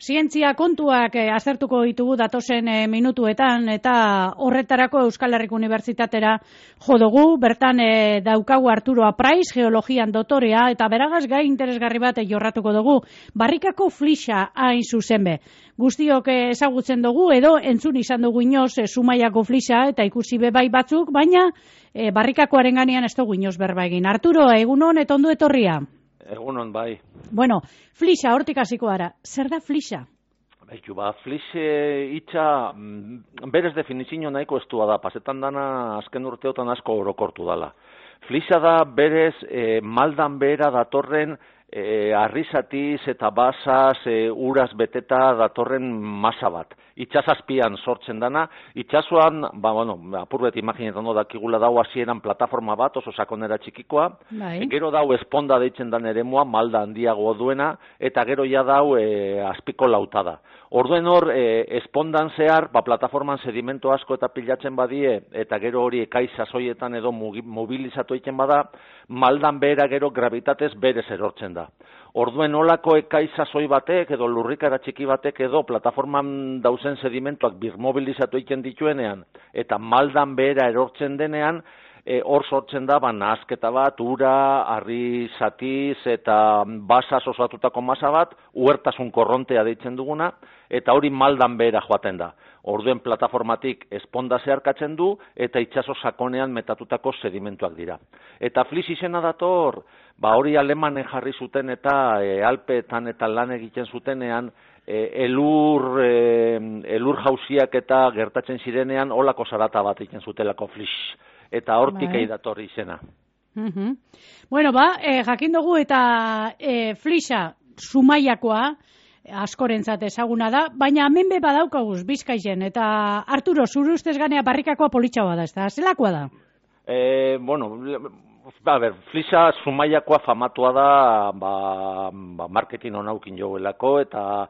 zientzia kontuak aztertuko ditugu datozen minutuetan, eta horretarako Euskal Herriko Unibertsitatera jo dugu. Bertan daukagu Arturo Apraiz, geologian dotorea, eta beragaz gai interesgarri bat jorratuko dugu. Barrikako flixa hain zuzen be. Guztiok ezagutzen dugu, edo entzun izan dugu inoz Zumaiako flixa, eta ikusi be bai batzuk, baina barrikakoaren ganean ez dugu inoz berba egin. Arturo, egunon eta ondo etorria. Egunon, bai. Bueno, flixa, hortik hasiko gara. Zer da flixa? Baitu, flixe hitza berez definizio nahiko estua da. Pasetan dana azken urteotan asko orokortu dala. Flixa da berez maldan behera datorren arrizatiz eta basaz uraz beteta datorren masa bat. Itxasazpian sortzen dana, itxasuan, apurbet imaginetan dakigula dau hasieran plataforma bat, oso sakonera txikikoa, gero dau esponda deitzen dan eremua, malda handiago duena, eta gero ja dau azpiko lautada. Orduen hor, espondan zehar, plataforman sedimento asko eta pilatzen badie, eta gero hori ekaiz sasoietan edo mobilizatu egiten bada, maldan behera gero gravitatez berez erortzen da. Orduen olako ekaiz sasoi batek edo lurrikara txiki batek edo plataforman dauzen sedimentoak birmobilizatu egiten dituenean, eta maldan behera erortzen denean, hor sortzen da, nahasketa bat, ura, harri zatiz eta basaz osatutako masa bat, uhertasun korrontea deitzen duguna, eta hori maldan behera joaten da. Orduen plataformatik esponda zeharkatzen du, eta itsaso sakonean metatutako sedimentuak dira. Eta flix izena dator, hori alemanen jarri zuten eta Alpeetan eta lan egiten zutenean, elur jauziak eta gertatzen zirenean olako zarata bat egiten zutelako flix. Eta hortik dator izena. Bueno, jakin dugu eta flixa Zumaiakoa, askorentzat ezaguna da, baina hemen be badaukaguz Bizkaian, eta Arturo, zure ustez ganea barrikakoa politxagoa da, ez da? Zelakoa da? Flixa Zumaiakoa famatua da, marketing onaukin joguelako, eta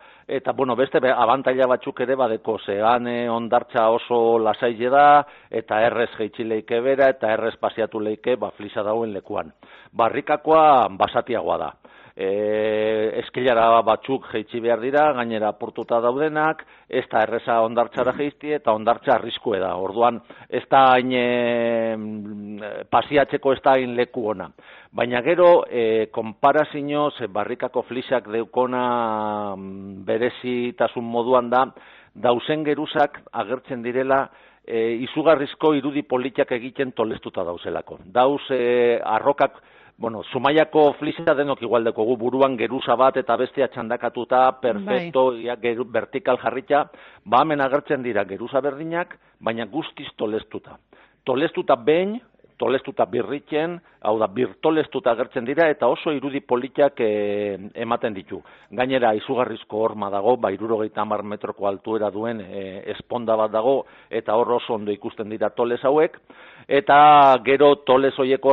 beste abantaila batzuk ere badeko, zean ondartza oso lasaile da, eta errez jeitsi leike bera, eta errez pasiatu leike, flixa dauen lekuan. Barrikakoa basatiagoa da. Eskilara batzuk jeitsi behar dira, gainera portuta daudenak, ez da erreza ondartzara jeizti eta ondartza arriskue da. Orduan, ez da hain pasiatzeko ez da hain leku ona. Baina gero, konparazioz, barrikako flixak deukona berezitasun moduan da, dauzen geruzak agertzen direla, izugarrizko irudi politak egiten tolestuta dauzelako. Dauz arrokak, Zumaiako flixa denok igualdeko gu buruan geruza bat eta bestea txandakatuta, perfecto, vertikal jarritxa, hemen agertzen dira geruza berdinak, baina guztiz tolestuta. Tolestuta behin, tolestuta birritzen, hau da, birtolestuta agertzen dira, eta oso irudi politak ematen ditu. Gainera, izugarrizko horma dago, 70 metroko altuera duen esponda bat dago, eta hor oso ondo ikusten dira toles hauek, eta gero toles horiek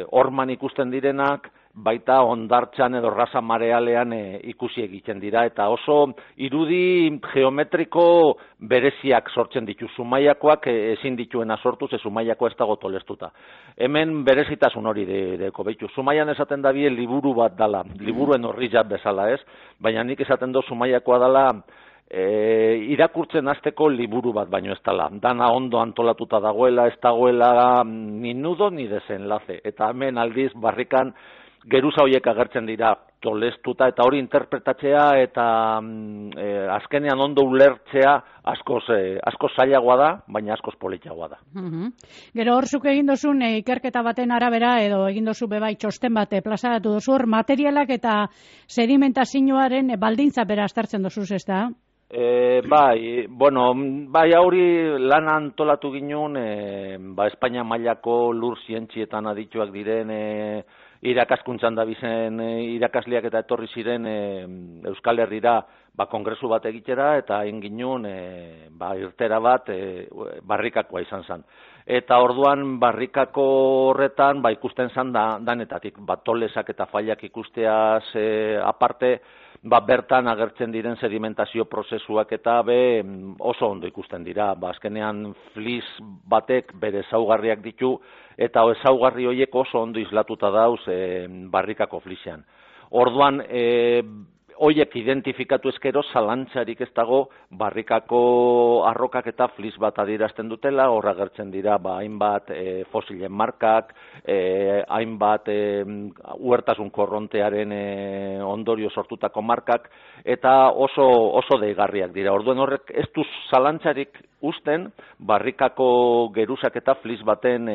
horman ikusten direnak, baita ondartzan edo raza marealean ikusi egiten dira, eta oso irudi geometriko bereziak sortzen ditu. Zumaiakoak ezin dituena sortuz, Zumaiakoa ez dago tolestuta. Hemen berezitasun hori deko behitu. Zumaian esaten da bie liburu bat dala, liburuen horri jat bezala ez, baina nik esaten do Zumaiakoa dala irakurtzen hasteko liburu bat baino ez dala. Dana ondo antolatuta dagoela, ez dagoela ni nudo ni desenlace. Eta hemen aldiz barrikan geruza horiek agertzen dira tolestuta, eta hori interpretatzea eta azkenean ondo ulertzea askoz zailagoa da, baina askoz politagoa da. Gero hor zuk egin dozun ikerketa baten arabera, edo egin dozu bebai txosten bat plazaratu dozu hor, materialak eta sedimentazioaren baldintza bera aztertzen dozuz, ez da? Bai, hori lan antolatu ginen, Espainia mailako lur zientzietan adituak diren irakaskuntzan da bizen irakasleak eta etorri ziren Euskal Herrira kongresu bat egitera, eta egin ginen irtera bat barrikakoa izan zen. Eta orduan barrikako horretan ikusten zen danetatik, tolesak eta fallak ikusteaz aparte, bertan agertzen diren sedimentazio prozesuak eta oso ondo ikusten dira. Azkenean flis batek bere ezaugarriak ditu, eta ezaugarri horiek oso ondo islatuta dauz barrikako flixean. Orduan, hoiek identifikatu eskero zalantzarik ez dago barrikako arrokak eta flis bat adierazten dutela, horra gertzen dira hainbat fosilen markak, hainbat huertasun korrontearen ondorio sortutako markak, eta oso deigarriak dira. Orduan horrek ez du zalantzarik usten barrikako geruzak eta flis baten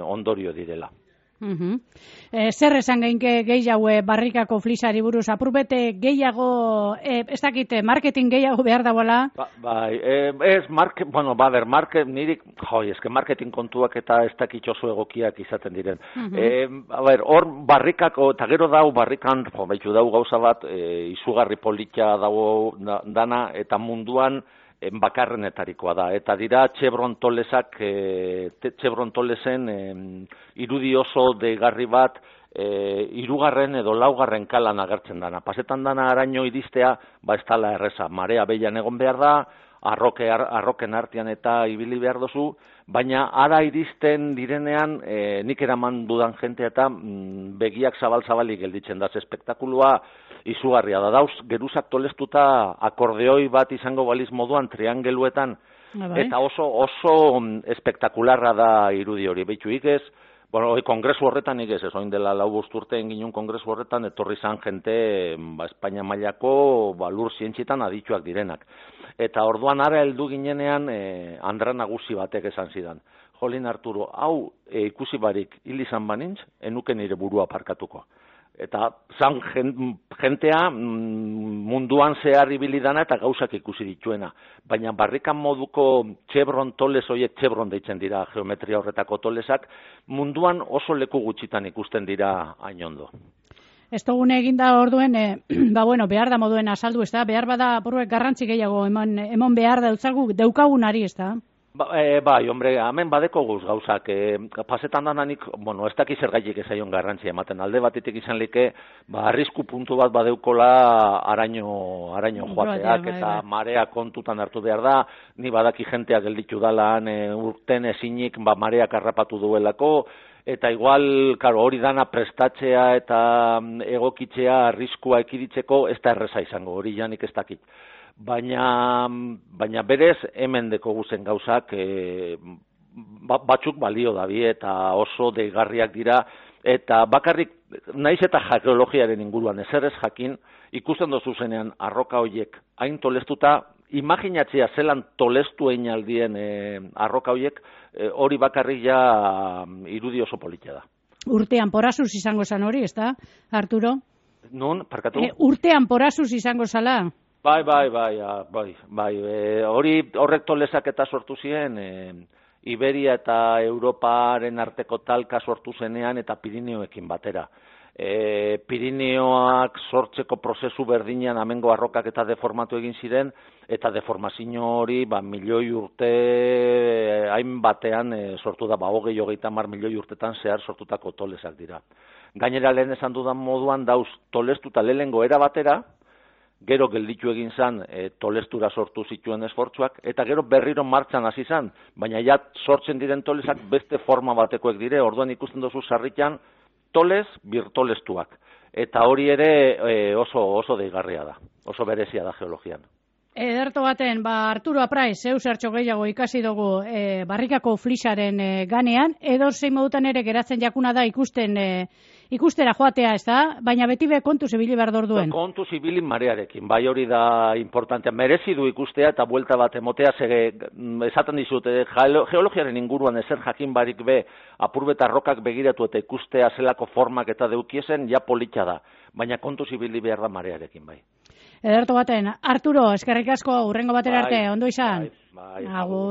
ondorio direla. Zer esan geinke gehiago barrikako flisari buruz, apurbete gehiago, ez dakite, marketing gehiago behar dagoela? Nirik, eske marketing kontuak eta ez dakit oso egokiak izaten diren. Hor barrikako, eta gero dau barrikan, baitu dau gauza bat, izugarri politia dago dana, eta munduan, bakarrenetarikoa da, eta dira Chevron Tolesak, Chevron Tolesen irudi oso deigarri bat, hirugarren edo laugarren kalan agertzen dana. Pasetan dana araño iristea, ez dala erreza, marea behian egon behar da, arroken artean eta ibili behar dozu, baina ara iristen direnean nik eraman dudan jentea eta begiak zabal-zabalik gelditzen da, espektakulua izugarria da. Dauz, geruzak tolestuta akordeoi bat izango baliz moduan triangeluetan, eta oso espektakularra da irudi hori. Beituik ez, kongresu horretan ez, oin dela 4 urte ginen kongresu horretan, etorri zan jente Espainia mailako lur zientzietan adituak direnak. Eta orduan ara heldu ginenean Andra nagusi batek esan zidan. Jolin Arturo, hau ikusi barik hil izan banintz, enuke nire burua parkatuko. Eta zan jentea munduan zehar ibili dana eta gauzak ikusi dituena. Baina barrikan moduko Chevron toles, horiek Chevron deitzen dira geometria horretako tolesak, munduan oso leku gutxitan ikusten dira hain ondo. Ez dugune eginda orduen, behar da moduen azaldu, ez da? Behar bada apuruek garrantzi gehiago emon behar daukagunari, ez da? Hemen badeko guz gauzak, pasetan dananik, ez dakiz zergaitik ezaion garrantzi ematen, alde batetik izan like, arrisku puntu bat badeukola araño joateak, eta marea kontutan hartu behar da, ni badaki jentea gelditu dalan, urten ezinik mareak harrapatu duelako, eta igual, hori dana prestatzea eta egokitzea arriskua ekiditzeko, ez da erreza izango, hori janik ez dakit. Baina berez hemen deko guzen gauzak batzuk balio dabi eta oso deigarriak dira, eta bakarrik naiz eta geologiaren inguruan ezer ez jakin, ikusten dozu zenean arroka horiek hain tolestuta, imaginatzea zelan tolestu aldien arroka horiek, hori bakarrik ja irudi oso politia da. Urtean porasuz izango zan hori, ez da, Arturo? Nun, parkatu? Urtean porasuz izango zala? Bai, horrek tolesak eta sortu ziren, Iberia eta Europaren arteko talka sortu zenean eta Pirineoekin batera. Pirineoak sortzeko prozesu berdinean amengo arrokak eta deformatu egin ziren, eta deformazio hori milioi urte hainbatean sortu da, 20-30 milioi urtetan zehar sortutako tolesak dira. Gainera lehen esan dudan moduan dauz tolestuta lehengo era batera, gero gelditu egin zan tolestura sortu zituen esfortzuak, eta gero berriro martxan hasi zan, baina ja sortzen diren tolesak beste forma batekoek dire, orduan ikusten duzu sarritan toles birtolestuak. Eta hori ere oso deigarria da, oso berezia da geologian. Ederto baten, Arturo Apraiz, zeu zertxo gehiago ikasi dugu barrikako flisaren ganean, edo zein modutan ere geratzen jakuna da ikustera joatea, ez da? Baina beti kontu zibili behar dorduen. Kontu zibili marearekin, bai hori da importantea. Merezi du ikustea eta buelta bat emotea, esaten dizut, geologiaren inguruan ezer jakin barik apurbeta rokak begiratu eta ikustea zelako formak eta deukiesen, ja politxa da. Baina kontu zibili behar da marearekin, bai. Ederto baten, Arturo, eskerrik asko, hurrengo batera arte, ondo izan? Bai, agur.